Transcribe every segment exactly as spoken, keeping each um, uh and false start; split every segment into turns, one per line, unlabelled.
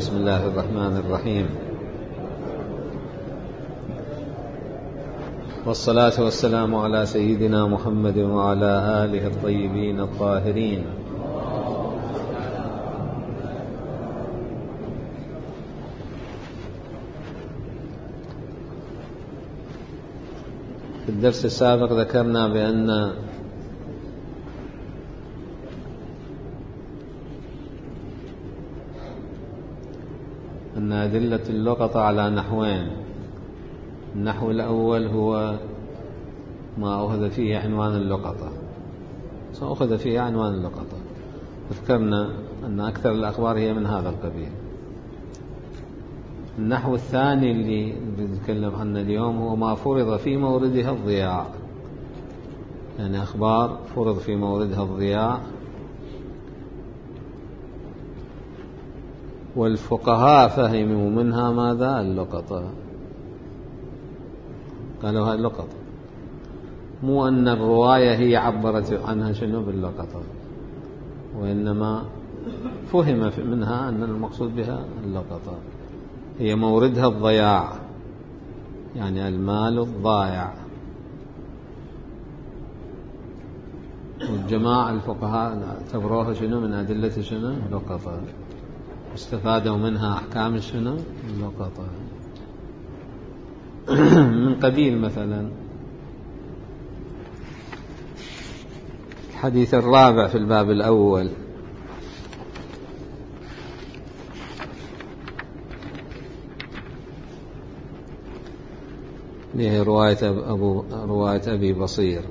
بسم الله الرحمن الرحيم، والصلاة والسلام على سيدنا محمد وعلى آله الطيبين الطاهرين. في الدرس السابق ذكرنا بأن أن أدلة اللقطة على نحوين. النحو الأول هو ما أخذ فيه عنوان اللقطة، سأخذ فيه عنوان اللقطة. ذكرنا أن أكثر الأخبار هي من هذا القبيل. النحو الثاني اللي بنتكلم عنه اليوم هو ما فرض في موردها الضياع، يعني أخبار فرض في موردها الضياع، والفقهاء فهموا منها ماذا؟ اللقطة. قالوا هاي اللقطة، مو أن الرواية هي عبرت عنها شنو باللقطة، وإنما فهم منها أن المقصود بها اللقطة هي موردها الضياع، يعني المال الضائع. والجماعة الفقهاء اعتبروها شنو من أدلة شنو اللقطة، استفادوا منها أحكام شنو اللقطة. من قبيل مثلا الحديث الرابع في الباب الأول، له رواية أبو رواية أبي بصير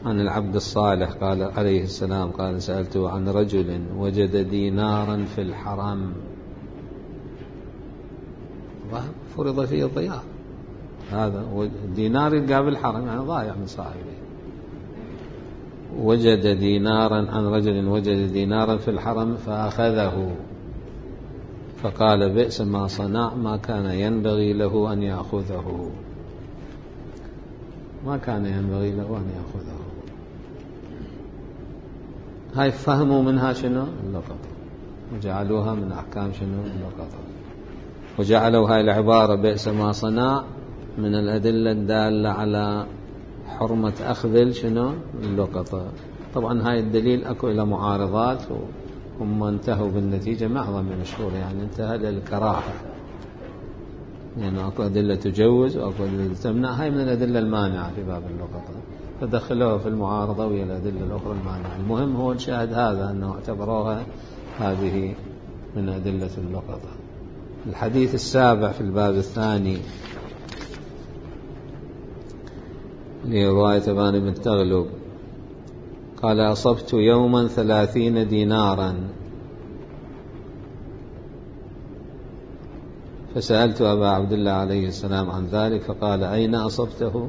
عن العبد الصالح قال عليه السلام قال: سألته عن رجل وجد دينارا في الحرم، فرض فيه الضياع، هذا دينار يلقى بالحرم يعني ضايع من صاحبه. وجد دينارا عن رجل وجد دينارا في الحرم فأخذه فقال: بئس ما صنع، ما كان ينبغي له أن يأخذه، ما كان ينبغي له أن يأخذه. هاي فهموا منها شنو اللقطة، وجعلوها من أحكام شنو اللقطة، وجعلوا هاي العبارة بئس ما صنع من الأدلة الدالة على حرمة أخذ شنو اللقطة. طبعا هاي الدليل أكو إلى معارضات، هم انتهوا بالنتيجة معظم المشهور يعني انتهى للكراهة، يعني أكو أدلة تجوز وأكو أدلة تمنع. هاي من الأدلة المانعة في باب اللقطة، فدخلوها في المعارضة وهي الأدلة الأخرى المانعة. المهم هو الشاهد هذا أنه اعتبروها هذه من أدلة اللقطة. الحديث السابع في الباب الثاني لرواية أبان بن تغلب قال: أصبت يوما ثلاثين دينارا فسألت أبا عبد الله عليه السلام عن ذلك فقال: أين أصبته؟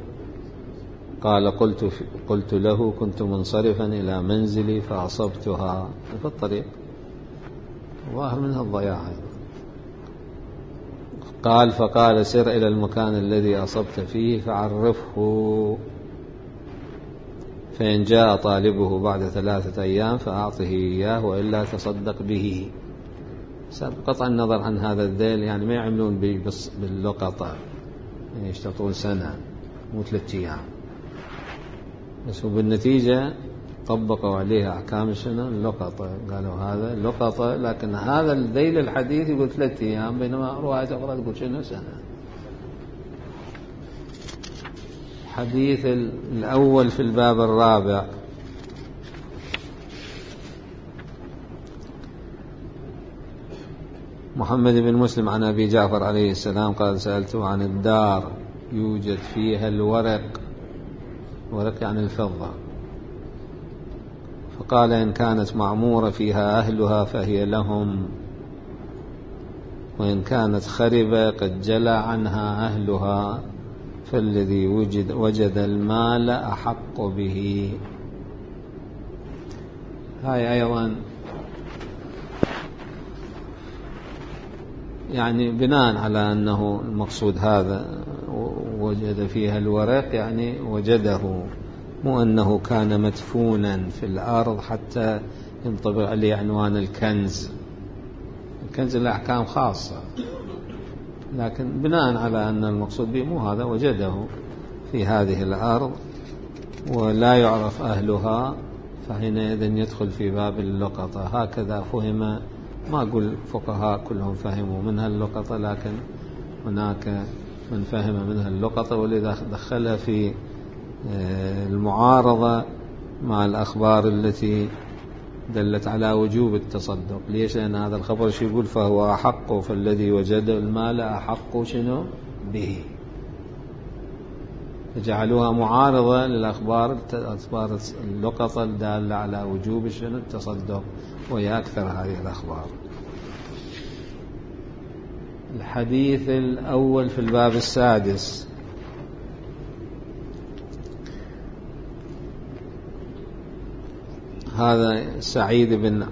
قال: قلت, قلت له: كنت منصرفا إلى منزلي فأصبتها في الطريق، ظاهر منها الضياع. قال: فقال: سر إلى المكان الذي أصبت فيه فعرفه، فإن جاء طالبه بعد ثلاثة أيام فأعطه إياه وإلا تصدق به. قطع النظر عن هذا الذيل، يعني ما يعملون باللقطة، يعني يشتغلون سنة مو ثلاثة أيام بس، وبالنتيجة طبقوا عليها أحكام شنو اللقطة. قالوا هذا اللقطة، لكن هذا الذيل الحديث يقول ثلاثة أيام، بينما رواية أخرى تقول شنو سنة. الحديث الأول في الباب الرابع محمد بن مسلم عن أبي جعفر عليه السلام قال: سألته عن الدار يوجد فيها الورق، ورق يعني الفضة، فقال: إن كانت معمورة فيها أهلها فهي لهم، وإن كانت خربة قد جلى عنها أهلها فالذي وجد, وجد المال أحق به. هاي أيضا يعني بناء على أنه المقصود هذا وجد فيها الورق، يعني وجده، مو أنه كان مدفونا في الأرض حتى ينطبق عليه عنوان الكنز، كنز الأحكام خاصة، لكن بناء على أن المقصود به مو هذا، وجده في هذه الأرض ولا يعرف أهلها، فحينئذ يدخل في باب اللقطة. هكذا فهم، ما أقول فقهاء كلهم فهموا منها اللقطة، لكن هناك من فهم منها اللقطة، ولذا دخلها في المعارضة مع الأخبار التي دلت على وجوب التصدق. ليش؟ لأن هذا الخبر شو يقول؟ فهو أحق، فالذي وجد المال أحق شنو به، فجعلوها معارضة للأخبار أخبار اللقطة الدالة على وجوب شنو التصدق، وهي أكثر هذه الأخبار. الحديث الأول في الباب السادس. هذا سعيد بن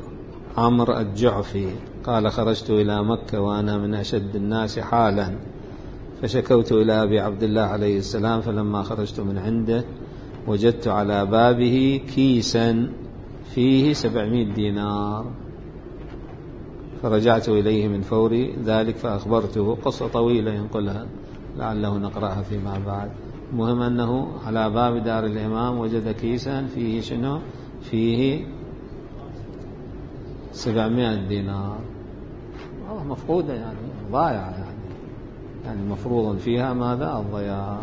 عمرو الجعفي قال: خرجت إلى مكة وأنا من أشد الناس حالا، فشكوت إلى أبي عبد الله عليه السلام، فلما خرجت من عنده وجدت على بابه كيسا فيه سبعمائة دينار، فرجعت إليه من فور ذلك فأخبرته. قصة طويلة ينقلها لعله نقرأها فيما بعد. المهم أنه على باب دار الإمام وجد كيسا فيه شنو؟ فيه سبعمائة دينار، مفقودة يعني ضايعة، يعني يعني مفروض فيها ماذا؟ الضياع.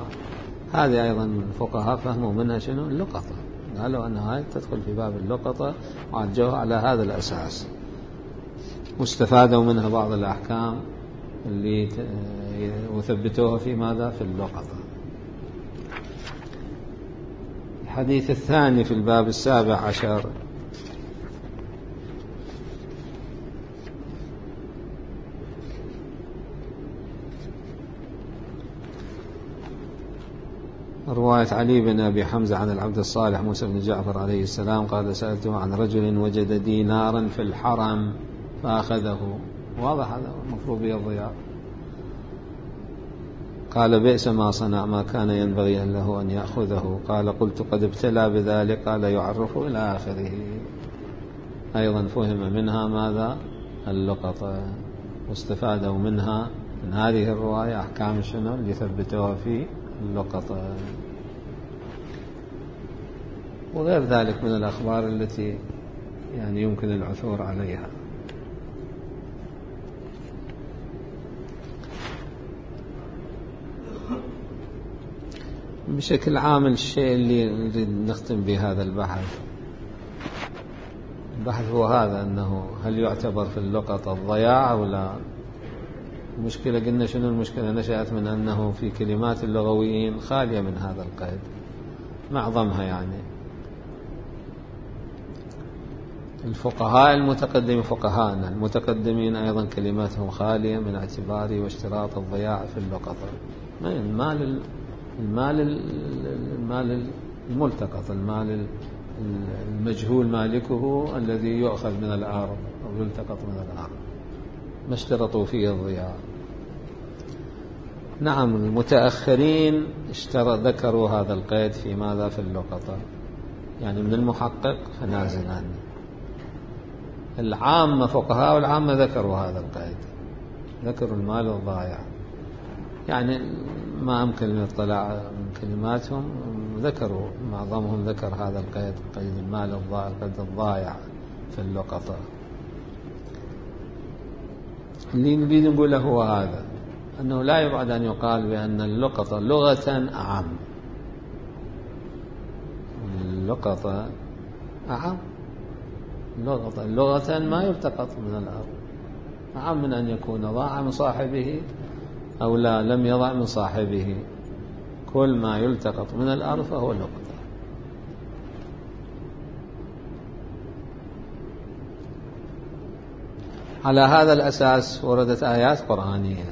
هذه أيضا الفقهاء فهموا منها شنو؟ اللقطة، قالوا أن هاي تدخل في باب اللقطة، وعالجوها على هذا الأساس، واستفادوا منها بعض الأحكام اللي وثبتوها في ماذا؟ في اللقطة. الحديث الثاني في الباب السابع عشر. رواية علي بن أبي حمزة عن العبد الصالح موسى بن جعفر عليه السلام قال: سألته عن رجل وجد دينارا في الحرم فأخذه. واضح هذا المفروض به الضياع. قال: بئس ما صنع، ما كان ينبغي له أن يأخذه. قال: قلت: قد ابتلى بذلك. قال: يعرف إلى آخره. أيضا فهم منها ماذا؟ اللقطة، واستفادوا منها من هذه الرواية أحكام شنو اللي ثبتوها في اللقطة، وغير ذلك من الأخبار التي يعني يمكن العثور عليها. بشكل عام الشيء اللي نريد نختم بهذا البحث البحث هو هذا، أنه هل يعتبر في اللقطة الضياع أو لا؟ المشكلة قلنا شنو المشكلة؟ نشأت من أنه في كلمات اللغويين خالية من هذا القيد، معظمها يعني. الفقهاء المتقدمين فقهاءنا المتقدمين أيضا كلماتهم خالية من اعتبار واشتراط الضياع في اللقطة. المال المال المال الملتقط، المال المجهول مالكه الذي يؤخذ من الأرض أو يلتقط من الأرض، ما اشترطوا فيه الضياع. نعم، المتأخرين اشترط ذكروا هذا القيد في ماذا؟ في اللقطة، يعني من المحقق فنازل عنه. العامة فقهاء العامة ذكروا هذا القيد، ذكروا المال الضائع، يعني ما أمكن الاطلاع من كلماتهم، ذكروا معظمهم ذكر هذا القيد، قيد المال الضائع، القيد الضائع في اللقطة. اللي نريد نقوله هو هذا، أنه لا يبعد أن يقال بأن اللقطة لغة أعم، اللقطة أعم، لغة لغة ما يلتقط من الأرض، أعم من أن يكون ضاع من صاحبه أو لا لم يضع من صاحبه. كل ما يلتقط من الأرض فهو لقطة. على هذا الأساس وردت آيات قرآنية: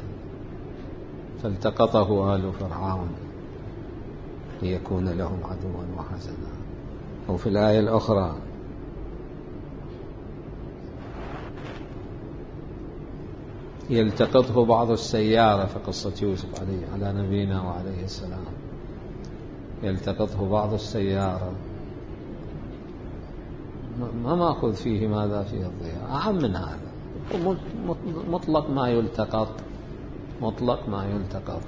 فالتقطه آل فرعون ليكون لهم عدوا وحزنا. أو في الآية الأخرى: يلتقطه بعض السيارة، في قصة يوسف عليه على نبينا وعليه السلام، يلتقطه بعض السيارة، ما مأخذ فيه ماذا؟ فيه الضياع، أعم من هذا. مطلق ما يلتقط، مطلق ما يلتقط.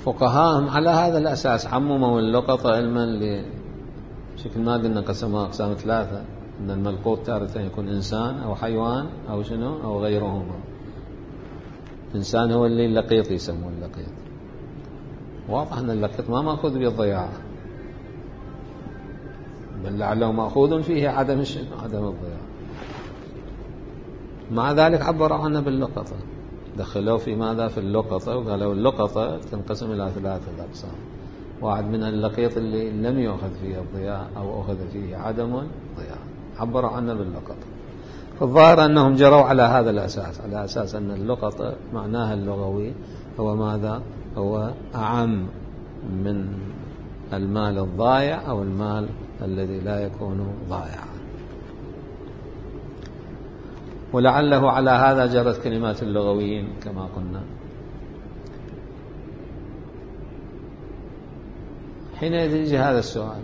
فقهاهم على هذا الأساس عمموا اللقطة علما بشكل ما قلنا قسمها أقسام ثلاثة، أن الملقوط تارة يكون إنسان أو حيوان أو شنو أو غيرهما. إنسان هو اللي اللقيط يسموه اللقيط، واضح أن اللقيط ما مأخوذ بالضياع، بل لعله مأخوذ فيه عدم عدم الضياع. مع ذلك عبروا عنه باللقطة، دخلوا في ماذا في اللقطة، وقالوا اللقطة تنقسم إلى ثلاثة أقسام. واحد منها اللقيط اللي لم يؤخذ فيه الضياع أو أخذ فيه عدم الضياع، عبروا عنه باللقطة. فالظاهر أنهم جروا على هذا الأساس، على أساس أن اللقطة معناها اللغوي هو ماذا؟ هو أعم من المال الضائع أو المال الذي لا يكون ضائعا. ولعله على هذا جرت كلمات اللغويين كما قلنا. حينئذ يجي هذا السؤال،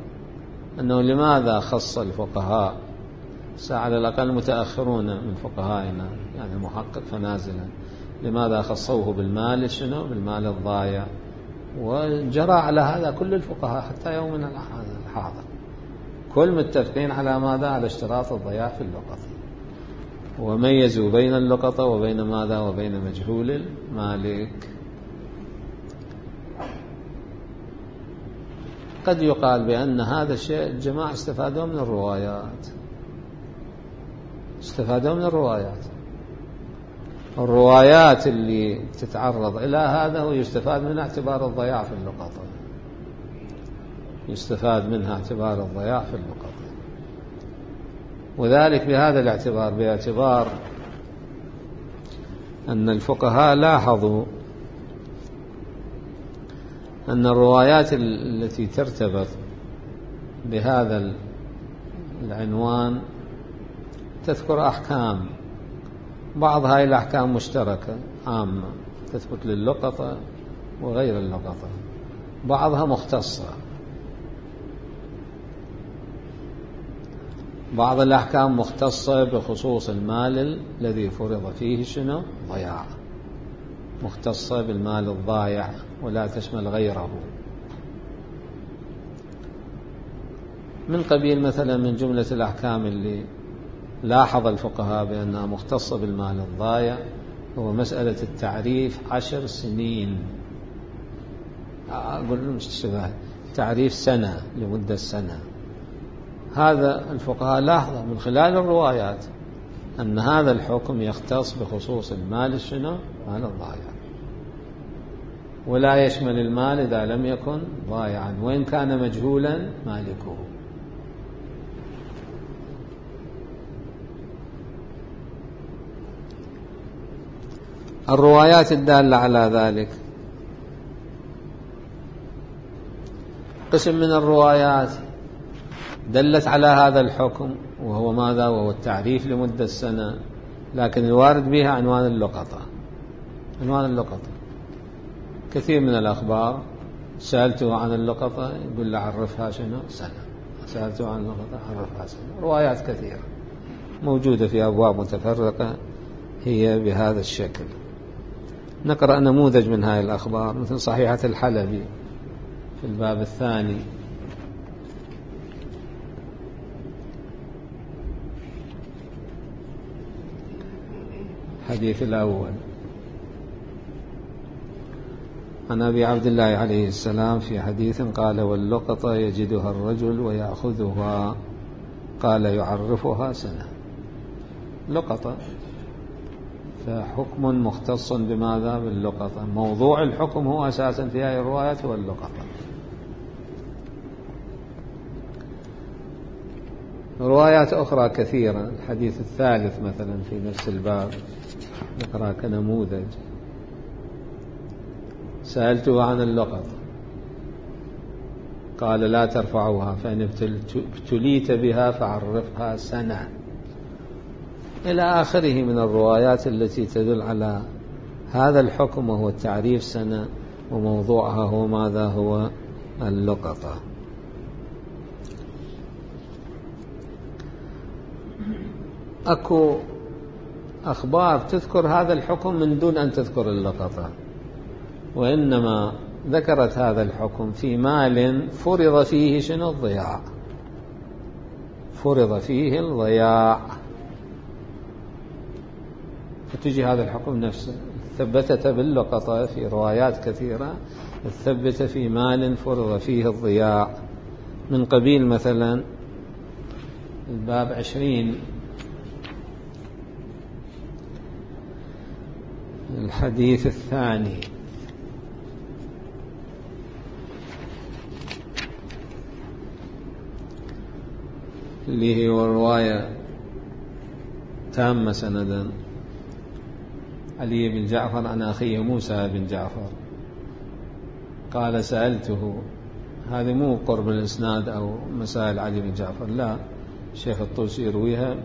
أنه لماذا خص الفقهاء على الأقل المتأخرون من فقهائنا يعني المحقق فنازلا، لماذا خصوه بالمال شنو بالمال الضائع؟ وجرى على هذا كل الفقهاء حتى يومنا الحاضر، كل متفقين على ماذا؟ على اشتراط الضياع في اللقطة، وميزوا بين اللقطة وبين ماذا؟ وبين مجهول المالك. قد يقال بأن هذا الشيء الجماعة استفادوا من الروايات، استفادوا من الروايات الروايات اللي تتعرض إلى هذا ويستفاد منها اعتبار الضياع في اللقطة، يستفاد منها اعتبار الضياع في اللقطة. وذلك بهذا الاعتبار، باعتبار أن الفقهاء لاحظوا أن الروايات التي ترتبط بهذا العنوان تذكر أحكام، بعض هاي الأحكام مشتركة عامة تثبت للقطة وغير اللقطة، بعضها مختصة، بعض الأحكام مختصة بخصوص المال الذي فرض فيه شنو ضياع، مختصة بالمال الضائع ولا تشمل غيره. من قبيل مثلا من جملة الأحكام اللي لاحظ الفقهاء بأنها مختصة بالمال الضائع هو مسألة التعريف عشر سنين، أقول مش تعريف سنة لمدة سنة. هذا الفقهاء لاحظوا من خلال الروايات أن هذا الحكم يختص بخصوص المال شنو مال الضائع، ولا يشمل المال إذا لم يكن ضائعا وإن كان مجهولا مالكه. الروايات الدالة على ذلك قسم من الروايات دلت على هذا الحكم وهو ماذا؟ وهو التعريف لمدة سنة، لكن الوارد بها عنوان اللقطة، عنوان اللقطة. كثير من الأخبار سألته عن اللقطة يقول له عرفها شنو سنة، سألته عن اللقطة عرفها سنة. روايات كثيرة موجودة في أبواب متفرقة هي بهذا الشكل. نقرأ نموذج من هذه الأخبار مثل صحيحة الحلبي في الباب الثاني، الحديث الأول عن أبي عبد الله عليه السلام في حديث قال: واللقطة يجدها الرجل ويأخذها، قال: يعرفها سنة. لقطة، فحكم مختص بماذا؟ باللقطة. موضوع الحكم هو أساسا في هذه الروايات هو اللقطة. روايات أخرى كثيرة. الحديث الثالث مثلا في نفس الباب نقرأ كنموذج: سألته عن اللقطة قال: لا ترفعوها فإن ابتليت بها فعرفها سنة، إلى آخره من الروايات التي تدل على هذا الحكم وهو التعريف سنة، وموضوعها هو ماذا؟ هو اللقطة. أكو أخبار تذكر هذا الحكم من دون أن تذكر اللقطة، وإنما ذكرت هذا الحكم في مال فرض فيه شنو؟ الضياع، فرض فيه الضياع، فتجي هذا الحكم نفسه ثبتت باللقطة في روايات كثيرة، ثبت في مال فرض فيه الضياع، من قبيل مثلا الباب عشرين الحديث الثاني اللي هو رواية تامة سندا، علي بن جعفر عن أخيه موسى بن جعفر قال سألته، هذه مو قرب الإسناد أو مسائل علي بن جعفر، لا، الشيخ الطوسي يرويها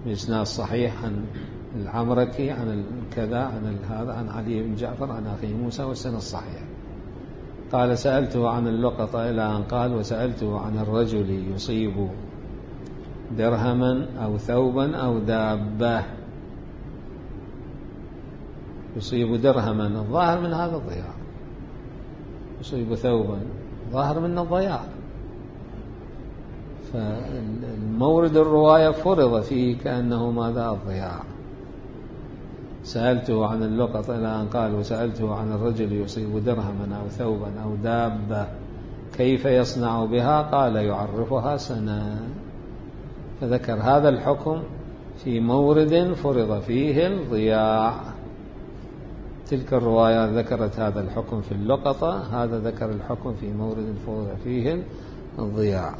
بإسناد صحيح عن العمركي عن كذا عن هذا عن علي بن جعفر عن أخيه موسى والسند الصحيح. قال سألته عن اللقطة إلى أن قال وسألته عن الرجل يصيب درهما أو ثوبا أو دابة، يصيب درهما الظاهر من هذا الضياع، يصيب ثوبا ظاهر من الضياع، فالمورد الرواية فرض فيه كأنه ماذا؟ الضياع. سألته عن اللقطة إلى أن قال وسألته عن الرجل يصيب درهما أو ثوبا أو دابة كيف يصنع بها؟ قال يعرفها سنة، فذكر هذا الحكم في مورد فرض فيه الضياع. تلك الروايات ذكرت هذا الحكم في اللقطة، هذا ذكر الحكم في مورد فرض فيه الضياع.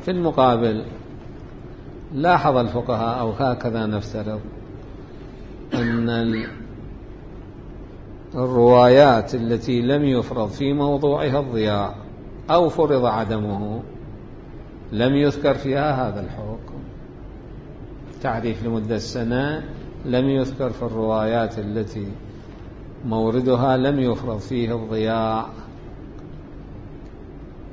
في المقابل لاحظ الفقهاء أو هكذا نفترض أن الروايات التي لم يفرض في موضوعها الضياع أو فرض عدمه لم يذكر فيها هذا الحكم، تعريف لمدة سنة لم يذكر في الروايات التي موردها لم يفرض فيه الضياع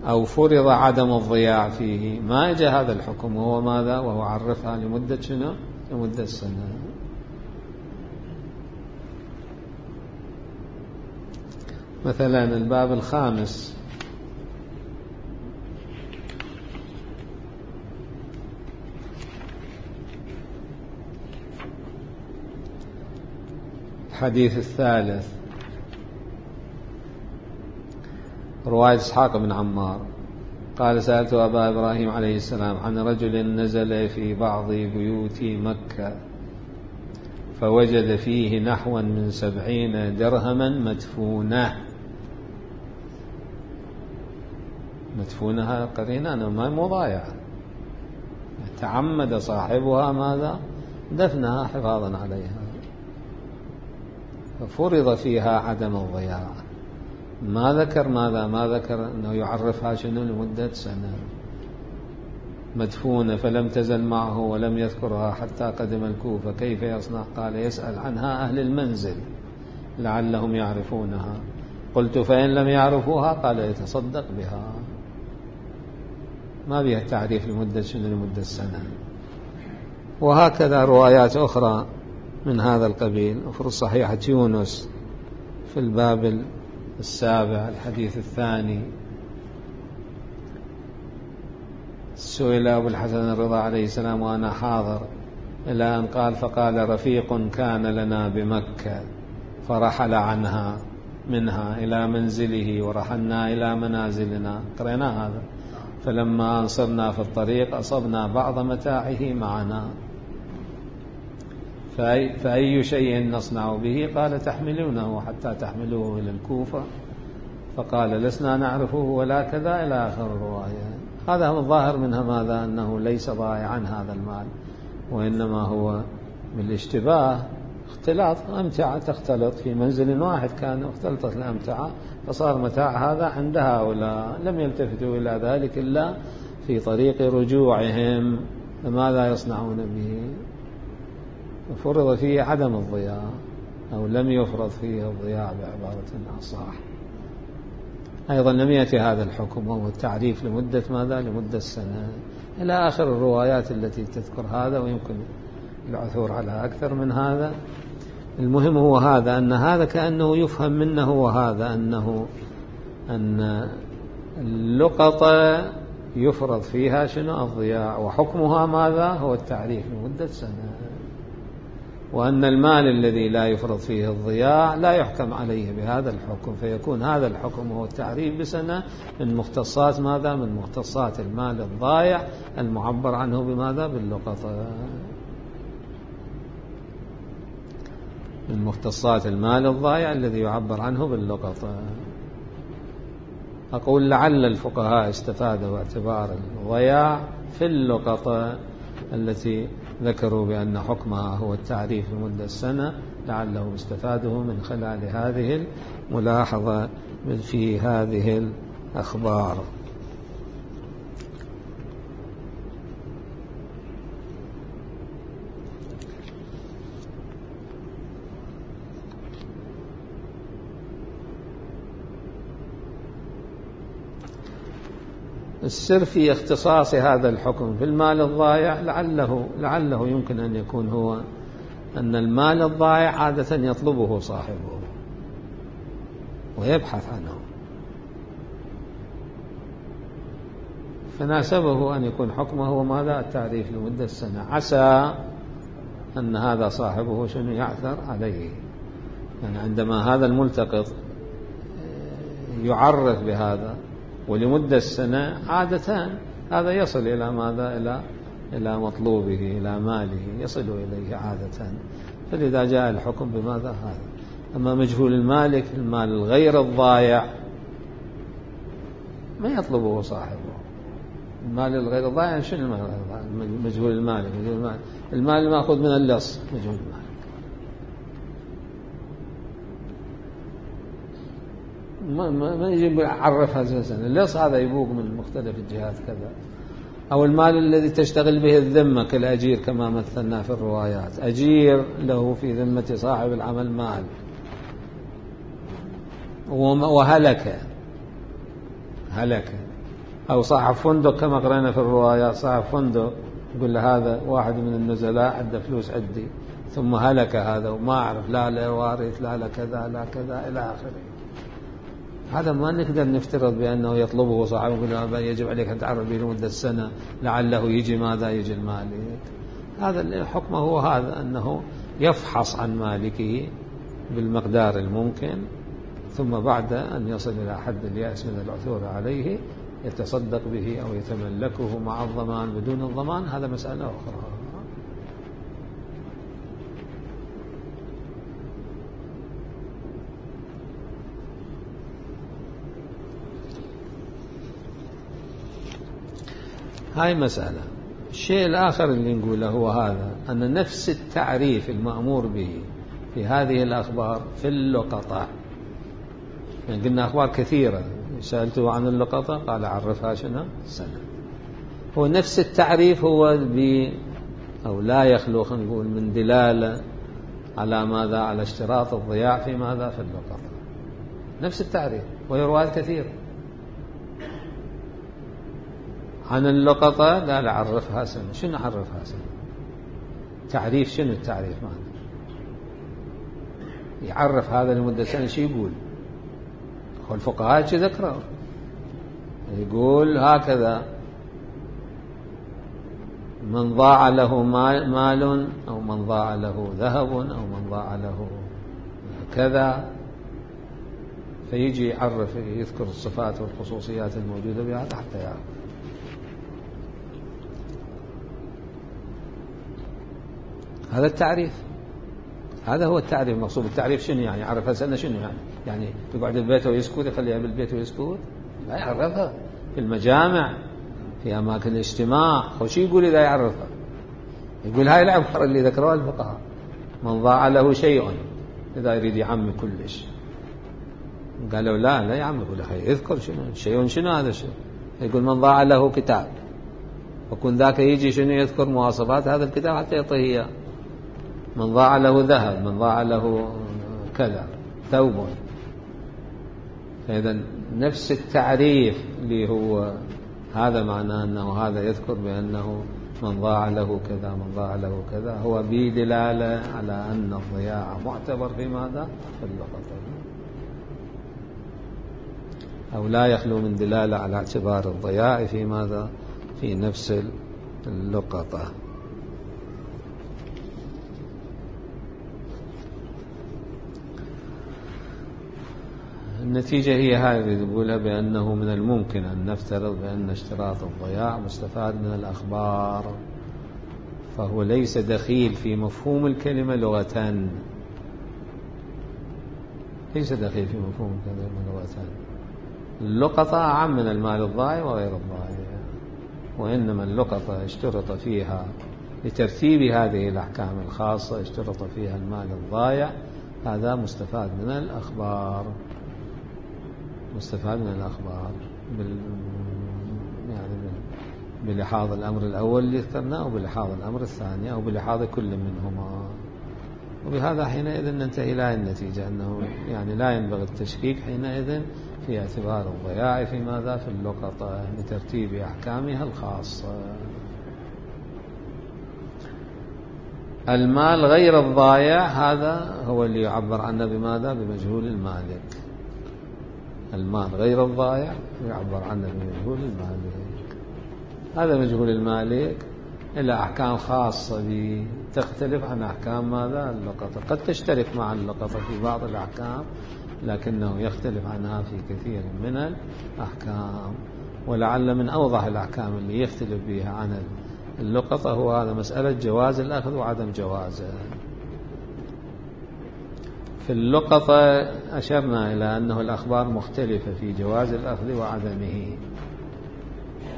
أو فرض عدم الضياع فيه، ما جاء هذا الحكم، وهو ماذا؟ وهو عرفها لمدة شنو؟ لمدة سنة. مثلا الباب الخامس الحديث الثالث رواية إسحاق بن عمار قال سألت أبا إبراهيم عليه السلام عن رجل نزل في بعض بيوت مكة فوجد فيه نحوا من سبعين درهما مدفونة. مدفونها قرينة أنا ما مضايع، تعمد صاحبها ماذا؟ دفنها حفاظا عليها، ففرض فيها عدم الضياع. ما ذكر ماذا؟ ما ذكر أنه يعرفها شنو لمدة سنة. مدفونة فلم تزل معه ولم يذكرها حتى قدم الكوفة، كيف يصنع؟ قال يسأل عنها أهل المنزل لعلهم يعرفونها. قلت فإن لم يعرفوها؟ قال يتصدق بها. ما بها التعريف لمدة شنو؟ لمدة سنة. وهكذا روايات أخرى من هذا القبيل. وفي صحيحة يونس في الباب السابع الحديث الثاني سئل أبو الحسن الرضا عليه السلام وأنا حاضر إلى أن قال فقال رفيق كان لنا بمكة فرحل عنها منها إلى منزله ورحلنا إلى منازلنا، قرأنا هذا، فلما أنصرنا في الطريق أصبنا بعض متاعه معنا، فأي, فأي شيء نصنع به؟ قال تحملونه حتى تحملوه إلى الكوفة، فقال لسنا نعرفه ولا كذا إلى آخر الرواية. هذا هو الظاهر منها ماذا؟ أنه ليس ضائعا هذا المال، وإنما هو بالاشتباه اختلاط أمتعة تختلط في منزل واحد، كان اختلطت الأمتعة فصار متاع هذا عند هؤلاء، لم يلتفتوا إلى ذلك إلا في طريق رجوعهم، فماذا يصنعون به؟ فرض فيه عدم الضياع أو لم يفرض فيه الضياع بعبارة أصح. أيضا لم يأتي هذا الحكم وهو التعريف لمدة ماذا؟ لمدة سنة، إلى آخر الروايات التي تذكر هذا، ويمكن العثور على أكثر من هذا. المهم هو هذا، أن هذا كأنه يفهم منه هو هذا أنه أن اللقطة يفرض فيها شنو؟ الضياع، وحكمها ماذا؟ هو التعريف لمدة سنة، وأن المال الذي لا يفرض فيه الضياع لا يحكم عليه بهذا الحكم، فيكون هذا الحكم هو التعريف بسنة من مختصات ماذا؟ من مختصات المال الضائع المعبر عنه بماذا؟ باللقطة، من مختصات المال الضائع الذي يعبر عنه باللقطة. أقول لعل الفقهاء استفادوا اعتبار الضياع في اللقطة التي ذكروا بأن حكمها هو التعريف لمدة سنة، لعلهم استفادوا من خلال هذه الملاحظة في هذه الأخبار. السر في اختصاص هذا الحكم في المال الضائع لعله لعله يمكن أن يكون هو أن المال الضائع عادة يطلبه صاحبه ويبحث عنه، فناسبه أن يكون حكمه هو ماذا؟ التعريف لمدة سنة، عسى أن هذا صاحبه شنو يعثر عليه. يعني عندما هذا الملتقط يعرف بهذا ولمدة سنة، عادة هذا يصل إلى ماذا؟ إلى إلى مطلوبه، إلى ماله يصل إليه عادة، فلذا جاء الحكم بماذا؟ هذا. أما مجهول المالك، المال الغير الضائع ما يطلبه صاحبه. المال الغير الضائع شنو المال الغير الضائع؟ مجهول المالك، مجهول المال المال المأخوذ من اللص، مجهول المالك. ما ما يجي يعرفها أساسا. اللص هذا يبوق من مختلف الجهات كذا. أو المال الذي تشتغل به الذمة كالأجير كما مثلنا في الروايات، أجير له في ذمة صاحب العمل مال وهلك هلك. أو صاحب فندق كما قرأنا في الروايات، صاحب فندق يقول له هذا واحد من النزلاء عنده فلوس عندي، ثم هلك هذا وما أعرف، لا لا وارث، لا لا كذا لا كذا إلى آخره. هذا ما نقدر نفترض بأنه يطلبه صاحبه، يجب عليك أن تعرف به لمدة سنة لعله يجي ماذا؟ يجي المالك. هذا الحكم هو هذا، أنه يفحص عن مالكه بالمقدار الممكن، ثم بعد أن يصل إلى حد اليأس من العثور عليه يتصدق به أو يتملكه مع الضمان بدون الضمان، هذا مسألة أخرى. هاي مسألة. الشيء الآخر اللي نقوله هو هذا، أن نفس التعريف المأمور به في هذه الأخبار في اللقطة، يعني قلنا أخبار كثيرة، سألته عن اللقطة قال عرفها شنو؟ سنة. هو نفس التعريف هو ب أو لا يخلو خلينا نقول من دلالة على ماذا؟ على اشتراط الضياع في ماذا؟ في اللقطة. نفس التعريف، وهي روايات كثيرة عن اللقطة. لا لا عرفها سنة. شنو عرفها سنة؟ تعريف شنو التعريف ماذا؟ يعرف هذا لمدة سنة. شو يقول؟ هو الفقهاء شو ذكروا؟ يقول هكذا: من ضاع له مال أو من ضاع له ذهب أو من ضاع له كذا، فيجي يعرف يذكر الصفات والخصوصيات الموجودة بهذا حتى يعرف. هذا التعريف، هذا هو التعريف المقصود. التعريف شنو يعني؟ يعرفها سنة شنو يعني؟ يعني يقعد بالبيت ويسكت، يخليها بالبيت ويسكت؟ لا، يعرفها في المجامع، في أماكن الاجتماع. وش يقول إذا يعرفها؟ يقول هاي العبارة اللي ذكرها الفقهاء: من ضاع له شيء، إذا يريد يعمي كلش. قالوا لا لا يعمي كل شيء، اذكر شنو شيء، شنو هذا الشيء. يقول من ضاع له كتاب، وكن ذاك يجي شنو يذكر مواصفات هذا الكتاب حتى يعطيه إياه. من ضاع له ذهب، من ضاع له كذا ثوب. فإذا نفس التعريف اللي هو هذا معناه أنه هذا يذكر بأنه من ضاع له كذا من ضاع له كذا، هو بدلالة على أن الضياع معتبر في ماذا؟ في اللقطة، أو لا يخلو من دلالة على اعتبار الضياع في ماذا؟ في نفس اللقطة. النتيجة هي هذه نقولها، بأنه من الممكن أن نفترض بأن اشتراط الضياع مستفاد من الأخبار، فهو ليس دخيل في مفهوم الكلمة لغة، ليس دخيل في مفهوم الكلمة لغة. اللقطة أعم من المال الضائع وغير الضائع، وإنما اللقطة اشترط فيها لترتيب هذه الأحكام الخاصة اشترط فيها المال الضائع، هذا مستفاد من الأخبار، مستفاد من الأخبار بال... يعني بلحاظ الأمر الأول اللي ذكرناه، أو بلحاظ الأمر الثاني، أو بلحاظ كل منهما. وبهذا حينئذ ننتهي إلى النتيجة أنه يعني لا ينبغي التشكيك حينئذ في اعتبار الضياع في ماذا؟ في اللقطة لترتيب أحكامها الخاصة. المال غير الضائع هذا هو اللي يعبر عنه بماذا؟ بمجهول المالك. المال غير الضائع يعبر عنه بمجهول المالك. هذا مجهول المالك إلى أحكام خاصة تختلف عن أحكام ماذا؟ اللقطة. قد تشترك مع اللقطة في بعض الأحكام، لكنه يختلف عنها في كثير من الأحكام. ولعل من أوضح الأحكام اللي يختلف بها عن اللقطة هو هذا مسألة جواز الأخذ وعدم جوازه. في اللقطة أشرنا إلى أنه الأخبار مختلفة في جواز الأخذ وعدمه،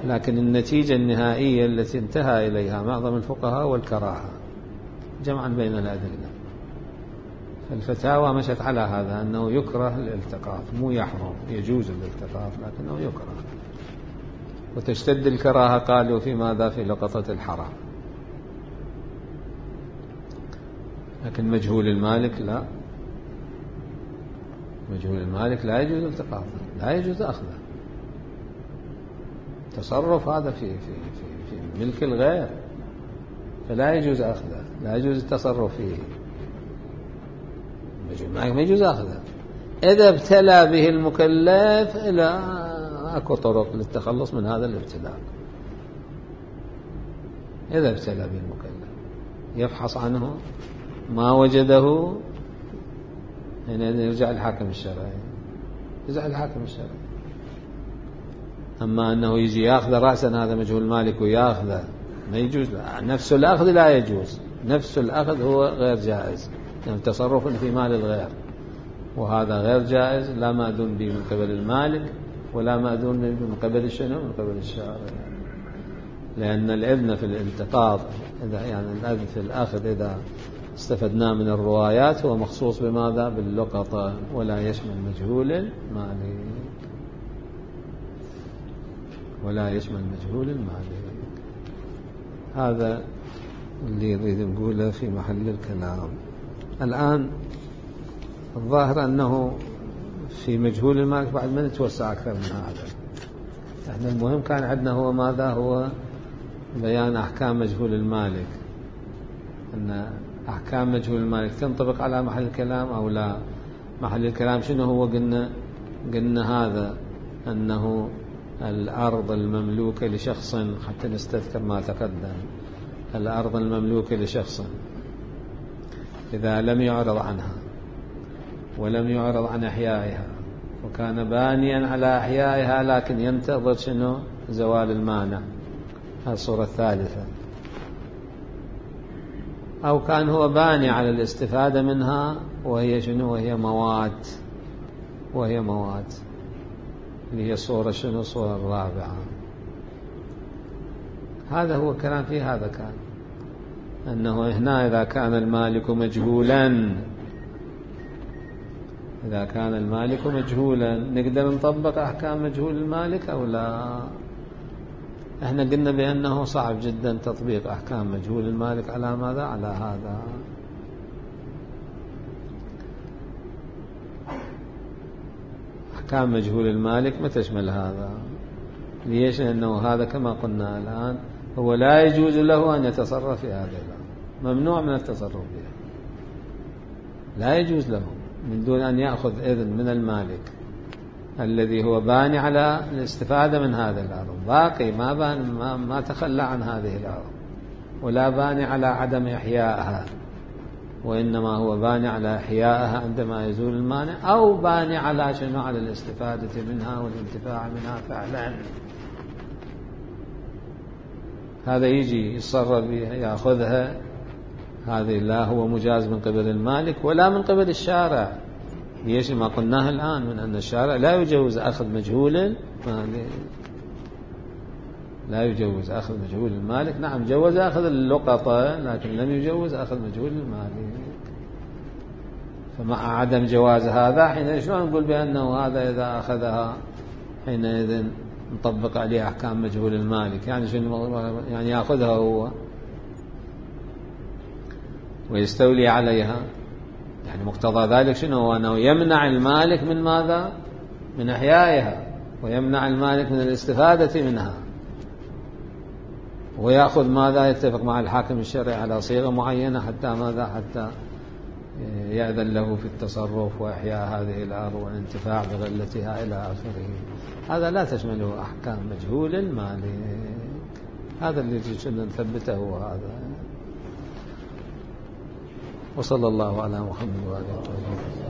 لكن النتيجة النهائية التي انتهى إليها معظم الفقهاء والكراهة جمعا بين الأدلة. فالفتاوى مشت على هذا أنه يكره الالتقاط، مو يحرم، يجوز الالتقاط لكنه يكره. وتشتد الكراهة قالوا في ماذا؟ في لقطة الحرام. لكن مجهول المالك لا، مجهول المالك لا يجوز التقاطه، لا يجوز أخذه. تصرف هذا في في في في ملك الغير، فلا يجوز أخذه، لا يجوز التصرف فيه. ما يجوز أخذه. إذا ابتلى به المكلف إلى أكو طرق للتخلص من هذا الابتلاء. إذا ابتلى به المكلف يفحص عنه ما وجده، هنا يرجع الحاكم الشرعي، يرجع الحاكم الشرعي. أما أنه يجي يأخذ رأسا هذا مجهول مالك ويأخذه ما يجوز. لا. نفس الأخذ لا يجوز، نفس الأخذ هو غير جائز، يعني تصرف في مال الغير، وهذا غير جائز، لا مأذون به من قبل المالك ولا مأذون به من قبل شنو؟ من قبل الشارع. لأن الإذن في الالتقاط إذا يعني الإذن في الأخذ إذا استفدنا من الروايات هو مخصوص بماذا؟ باللقطة، ولا يشمل مجهول المالك، ولا يشمل مجهول المالك. هذا اللي يريد نقوله في محل الكلام. الآن الظاهر أنه في مجهول المالك بعد ما نتوسع أكثر من هذا. احنا المهم كان عندنا هو ماذا؟ هو بيان أحكام مجهول المالك، أن أحكام مجهول المالك تنطبق على محل الكلام أو لا. محل الكلام شنو هو؟ قلنا قلنا هذا أنه الأرض المملوكة لشخص، حتى نستذكر ما تقدم، الأرض المملوكة لشخص إذا لم يعرض عنها ولم يعرض عن إحيائها وكان بانيا على إحيائها لكن ينتظر شنو؟ زوال المانع، هذه الصورة الثالثة. أو كان هو باني على الاستفادة منها وهي شنو؟ وهي مواد، وهي مواد اللي هي صورة شنو؟ الصورة الرابعة. هذا هو الكلام فيه. هذا كان أنه هنا إذا كان المالك مجهولا، إذا كان المالك مجهولا نقدر نطبق أحكام مجهول المالك أو لا؟ احنا قلنا بأنه صعب جدا تطبيق أحكام مجهول المالك على ماذا؟ على هذا. أحكام مجهول المالك ما تشمل هذا. ليش؟ لأنه هذا كما قلنا الآن هو لا يجوز له أن يتصرف في هذه الأرض، ممنوع من التصرف بها، لا يجوز له من دون أن يأخذ إذن من المالك الذي هو باني على الاستفادة من هذه الأرض، باقي ما, بان ما, ما تخلى عن هذه الأرض، ولا باني على عدم إحيائها، وإنما هو باني على إحيائها عندما يزول المانع، أو باني على شنو؟ على الاستفادة منها والانتفاع منها فعلا. هذا يجي يتصرف بها يأخذها، هذه لا هو مجاز من قبل المالك ولا من قبل الشارع. ليش؟ ما قلناه الآن من أن الشارع لا يجوز أخذ مجهول، لا يجوز أخذ مجهول المالك. نعم جوز أخذ اللقطة لكن لم يجوز أخذ مجهول المالك. فمع عدم جواز هذا حين شلون نقول بأنه هذا إذا أخذها حينئذ نطبق عليه أحكام مجهول المالك؟ يعني شنو؟ يعني يأخذها هو ويستولي عليها، يعني مقتضى ذلك شنو هو؟ أنه يمنع المالك من ماذا؟ من إحيائها، ويمنع المالك من الاستفادة منها، ويأخذ ماذا؟ يتفق مع الحاكم الشرعي على صيغة معينة حتى ماذا؟ حتى يأذن له في التصرف وإحياء هذه الأرض والانتفاع بغلتها إلى آخره. هذا لا تشمله أحكام مجهول المالك. هذا اللي جئنا نثبته هذا. وصلى الله على محمد وآله وصحبه.